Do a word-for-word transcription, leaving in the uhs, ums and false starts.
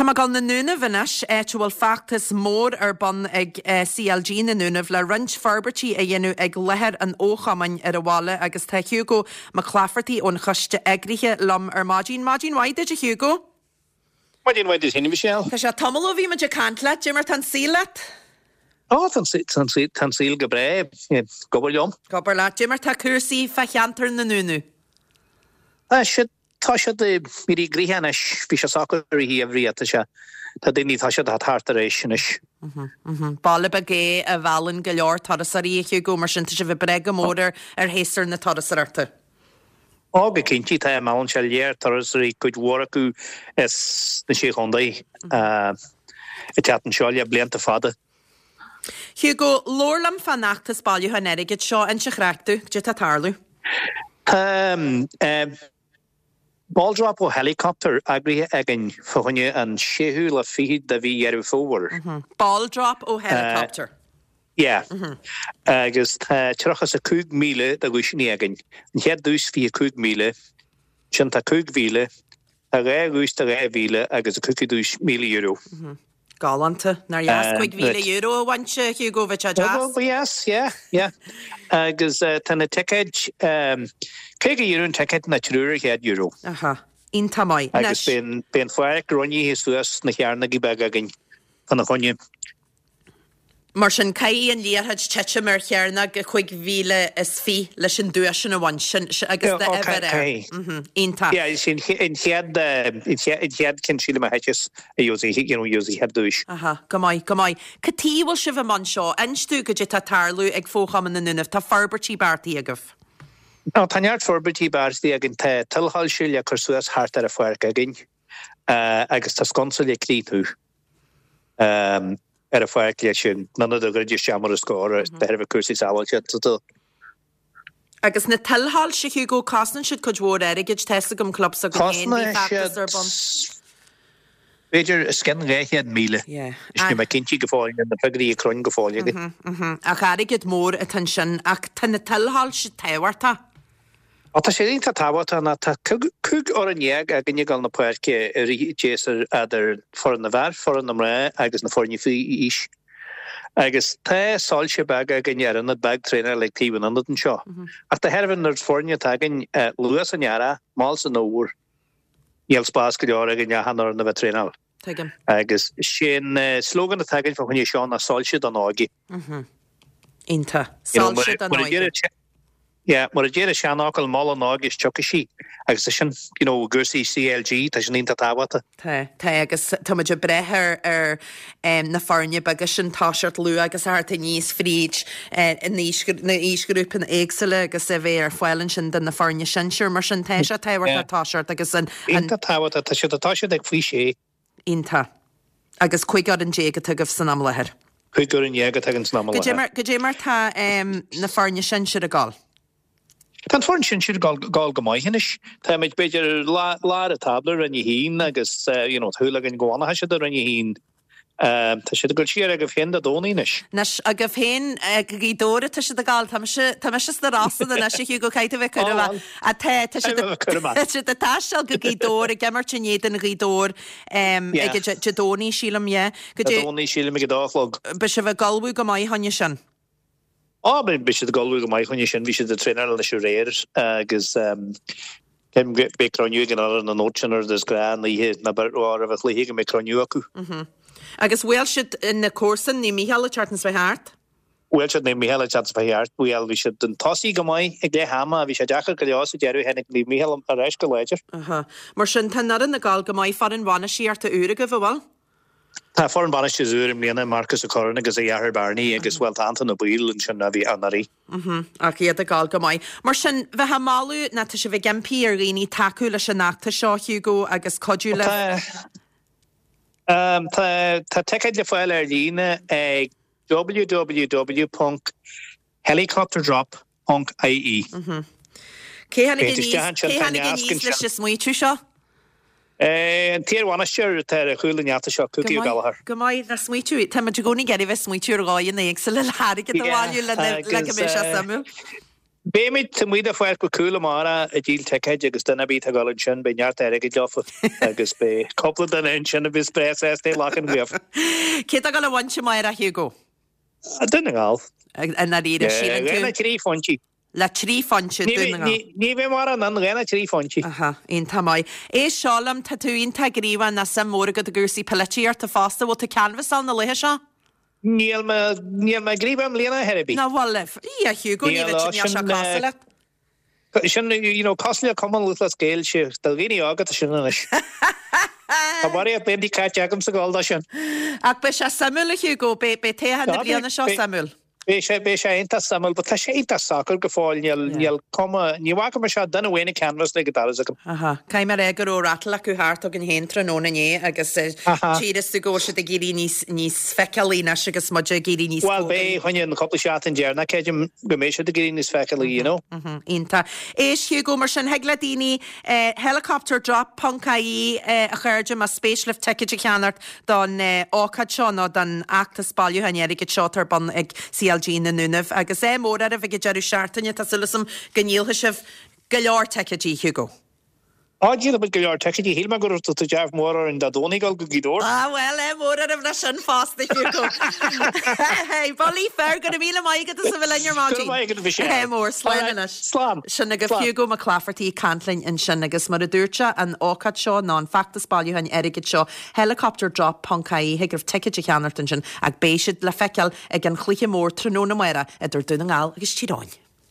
Tá mé ag dul na Dúnaibh anois, áit a bhfuil feachtas mór ar bun ag C L G na nDúnaibh le roinnt forbairtí a dhéanamh ag láthair an fhochumainn ar an bhaile agus tá Hugo Mac Laifeartaigh ón choiste eagraithe liom ar maidin. Maidin mhaith duit, a Hugo. Maidin mhaith duit, Michelle. Tá sé tamall ó bhí muid ag caint leat, cad é mar tá an saol leat? Ó, tá an saol go breá, ag obair liom. Ag obair leat, cad é mar tá cúrsaí fá cheantar na nDúnaibh. Tá siad tá siad mírí gríhanis, bhí sé socair i bhrí sé tá daoine tá siad thart ar éis anois. Baile beag é a mheallann go leor turasóirí, Hugo, mar sin tá sibh ag brath go mór ar ar shéasúr na turasóireachta. Ó, go cinnte, tá, meallann sé léir turasóirí, cuid mhór acu as na sé chontae ag teacht anseo le blianta fada. Hugo, labhair liom fán fheachtas bailiúcháin airgid seo. Inis an chraic domh, cad é tá ag tarlú. Tá ball drop ó helicopter eagraithe againn fá choinne an séú lá fichead de mhí Dheireadh Fómhair. Ball drop ó helicopter. Yeah. Agus tá tríocha is a cúig míle de dhuaiseanna againn. An chéad duais fiche cúig míle, sin tá cúig mhíle, tá dhá dhuais de dhá mhíle agus a cúpla duais míle euro. Galánta. Nár dheas cúig mhíle euro a bhaint, Hugo, bheadh sé deas. Yes, yeah, yeah. Agus tá na ticéid caoga euro an ticéad nó triúr céad euro. Aha. Iontach maith. Agus beidh an pháirc roinnithe suas na cearnógaí beaga againn chun a choinne. Mar sin, caithfidh an liathróid titim ar chearnóg cúig mhíle is fiche leis an duais sin a bhaint sin agus na uimhir air. Iontach. Yeah, sin an chéad an chéad cinn sílim a thiteas a gheobhaidh you know gheobhaidh chéad duais. Aha, go maith, go maith. Cad chuige a bhfuil sibh i mbun seo? Inis domh cad é tá ag tarlú ag Fochumann na nDúnaibh. Tá forbairtí beartaithe agaibh. Ó, tá neart forbairtí beartaithe againn. Tá tuilshoilse le cur suas thart ar an pháirc againn agus tá sconsa le críochnú ar an pháirc leis sin none de ghrid isteach mar a scór de thairbhe cúrsaí sábháilteachta. Agus na tuilshoilse, Hugo, cosnaíonn siad cuid mhór airgid. Tá a fhios agam club s'againn féin, bhí Cosnaíonn feachtas ar bun. B'fhéidir os cionn dhá chéad míle. Yeah. Is mé cinnte go fóill na figiúirí ag cruinn go fóill againn. Ach airgead mór atá ansin, ach tá na tuilshoilse tábhachtach. Ó, tá sé iontach tábhachtach ná tá cúig fhoireann dhéag againn ag dul na páirce i rith an tséasúir idir foireann na bhfear, foireann na mná agus na foirne faoi aois. Agus tá soilse beaga againn ar ionad beag traenála ag taobh an ionad anseo. Ach de thairbhe an oiread foirne atá againn luath san earrach, mall san fhómhar, níl spás go leor againn achan fhoireann a bheith traenáil. Tuigim. Agus sin slogan atá againn fá choinne seo ná "Soilse don óige." Iontach. Soilse don óige. Yeah, mar a deir an seanfhocal, "Mol an óige is tiocfaidh sí," agus sin you know cúrsaí C L G, tá sin iontach tábhachtach. Tá, tá, agus tá muid ag brath ar ar um, na foirne beaga sin toiseacht luath agus thart aníos fríd uh, na aoisghrúpaí éagsúla agus a bheith ar fáil ansin do na foirne sinsir. Mar sin tá sé tábhachtach toiseacht agus an Iontach tábhachtach, tá siad tá siad ag faoi sé. Iontach. Agus cúig fhoireann déag atá agaibh san am láthair. Cúig fhoireann déag atá againn san am láthair. Cad é mar tá um, na foirne sinsir ag gabháil? Tá an foireann sinsir ag gabháil go maith anois. Tá muid b'fhéidir lár an tábla, Roinn a haon, agus you know, súil againn go bhfanfaidh siad i Roinn a haon. Tá siad ag dul siar agaibh féin Dé Domhnaigh anois. Anois agaibh féin go Gaoth Dobhair atá siad ag gabháil. Tá mise tá mise sna Rosanna anois, a Hugo, caithfidh tú bheith cúramach. Tá tá siad tá siad ag taisteal go Gaoth Dobhair, ag imirt in éadan Ghaoth Dobhair ag Dé Domhnaigh, sílim, yeah. Dé Domhnaigh, sílim, ag a dó a chlog. Beidh sibh ag ullmhú go maith chuige sin. Á, beidh siad ag ullmhú go maith chuige sin, bhí siad ag traenáil anois aréir agus beidh cruinniú ag an fhoireann an nóit sin ar is gnách an oíche ná roimh an chluiche go mbeidh cruinniú acu. Agus bhuail siad na comharsain, Naomh Mícheál, an tseachtain seo thart? Bhuail siad Naomh Mícheál an tseachtain seo thart, bhuel, bhí siad chun tosaigh go maith ag leath ama, bhí sé deacair go leor sa deireadh, tháinig Naomh Mícheál ar ais go láidir. Aha. Mar sin tá an fhoireann ag gabháil go maith, foireann bhainistíochta úr agaibh, an bhfuil? Tá foireann bainistíochta úr i mbliana, Marcus Ó Curráin agus a dheartháir Barney, agus bhuel, tá Anton Ó Baoill ansin a bhí anuraidh. Ach iad ag gabháil go maith. Mar sin, bheith ag moladh ná tá sibh ag impí ar dhaoine tacú leis an fheachtas seo, Hugo, agus cuidiú le. Tá tá ticéid le fáil ar líne ag w w w ponc helicopterdrop ponc i e. Cé tháinig aníos cé tháinig aníos leis an smaoitiú seo? An t-iarbhainisteoir atá ar chúl an fheachtais seo, Cookie Go Ó maith, Gallchóir. go maith, nach smaoitiú. Tá muid i gcónaí ag iarraidh bheith ag smaoitiú ar dhóigheanna éagsúla le hairgead a bhailiú le le go Agus mbeidh sé suimiúil. Beimid taobh amuigh de Pháirc Mhic Cumhaill amárach ag díol ticéid agus duine ar bith atá ag dul ansin beidh neart airgid leofa agus beidh cúpla duine ansin a bheas breá sásta é a ghlacadh uaibh. Cé atá ag dul a bhaint amárach, a Hugo? Dún na nGall. I ndáiríre, síleann tú? Le trí phointí. Le trí phointe, Dún na nGall. Ní bheidh mórán ann, dhá nó trí phointí. Aha, iontach maith. Éist seo liom, tá tú iontach gníomhach nó suim mhór agat i gcúrsaí polaitíochta fosta, bhfuil tú ag canbhasáil na laetha seo? Níl mé, níl mé ag gníomhú i mbliana ar bith. Nach bhfuil libh? Í, a Hugo, ní Níl, bheidh níl sé sin, cosúil leat. Sin, you know, cosúil le Cumann Lúthchleas Gael, sé, do dhaoine óga atá sin anois. Tá barraíocht blianta caite agamsa ag gabháil dó sin. Ach beidh sé suimiúil, a Hugo, beidh, beidh toghchán na Tá, beidh, bliana seo beidh. suimiúil. Beidh sé, beidh sé iontach suimiúil, but tá sé iontach socair go fóill, níl, níl cuma, ní bhfaca mise ach duine amháin ag canvas le go dtarra's agam. Aha. Caithfidh mé a rá go raibh rattle acu thart againn féin tráthnóna inné agus Aha. tchíos tú go bhfuil siad ag éirí níos, níos feiceálaí anois agus muid ag éirí níos Bhuel, cóngaraí. beidh choinne an cúpla seachtain deireanach, creidim go mbeidh siad ag éirí níos feiceálaí, you know. Mhm, Iontach. Éist Hugo, mar sin, thig le daoine eh, helicopterdrop ponc ie eh, a chairde más spéis libh ticéid a cheannacht don eh, ócáid seo nó don fheachtas bailiúcháin airgid seo atá ar bun ag C L G na nDúnaibh. Agus ádh mór oraibh ag an deireadh seachtaine, tá súil agam go ndíolfaidh sibh go leor ticéidí, Hugo. Á, díolfaidh muid go leor ticéidí, shíl mé go raibh tú dearg mór orainn Dé Domhnaigh dul go Gaoth Dobhair. Ah well, ádh mór oraibh leis sin fosta, Hugo. Hey, Bullaí fer, go raibh míle maith agat as a bheith linn ar maidin. Go raibh maith agat, Michelle. Ádh mór, slán Alright, anois. Slán. Sin agaibh Slán. Hugo Mac Laifeartaigh ag caint linn ansin agus mar a dúirt sé an ócáid seo nó an feachtas bailiúcháin airgid seo helicopterdrop ponc ie thig libh ticéid a cheannacht ansin ach beidh siad le feiceáil ag an chluiche mór tráthnóna amárach idir Dún na nGall agus Tír Eoghain.